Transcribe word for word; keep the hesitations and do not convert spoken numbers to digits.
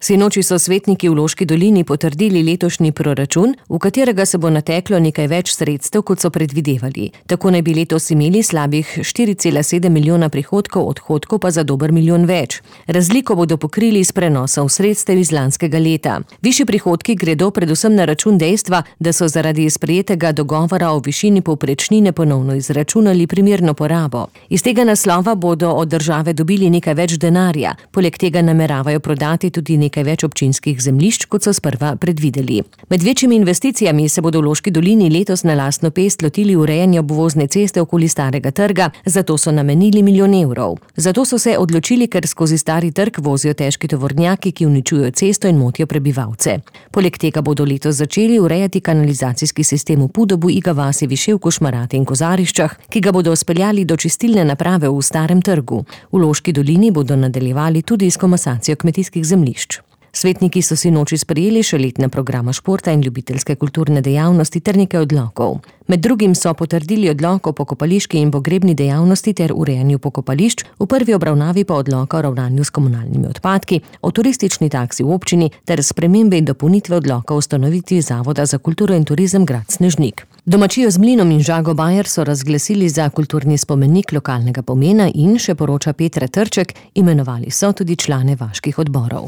Sinoči so svetniki v Loški dolini potrdili letošnji proračun, v katerega se bo nateklo nekaj več sredstev, kot so predvidevali. Tako naj bi letos imeli slabih štiri cela sedem milijona prihodkov, odhodkov pa za dober milijon več. Razliko bodo pokrili s prenosom sredstev iz lanskega leta. Višji prihodki gredo predvsem na račun dejstva, da so zaradi sprejetega dogovora o višini povprečnine ponovno izračunali primerno porabo. Iz tega naslova bodo od države dobili nekaj več denarja. Poleg tega nameravajo prodati tudi nekaj nekaj več občinskih zemljišč, kot so sprva predvideli. Med večjimi investicijami se bodo v Loški dolini letos na lastno pest lotili urejanja obvozne ceste okoli Starega trga, zato so namenili milijon evrov. Zato so se odločili, ker skozi Stari trg vozijo težki tovornjaki, ki uničujejo cesto in motijo prebivalce. Poleg tega bodo letos začeli urejati kanalizacijski sistem v Pudobu, Iga vasi, Viševku, Šmarati in Kozariščah, ki ga bodo speljali do čistilne naprave v Starem trgu. V Loški dolini bodo nadaljevali tudi s komasacijo kmetijskih zemljišč. Svetniki so sinoči sprejeli še letne programa športa in ljubiteljske kulturne dejavnosti ter nekaj odlokov. Med drugim so potrdili odlok o pokopališki in pogrebni dejavnosti ter urejanju pokopališč, v prvi obravnavi pa odlok o ravnanju s komunalnimi odpadki, o turistični taksi v občini ter spremembe in dopolnitve odloka o ustanovitvi Zavoda za kulturo in turizem Grad Snežnik. Domačijo z mlinom in žago Bajer so razglasili za kulturni spomenik lokalnega pomena in, še poroča Petra Trček, imenovali so tudi člane vaških odborov.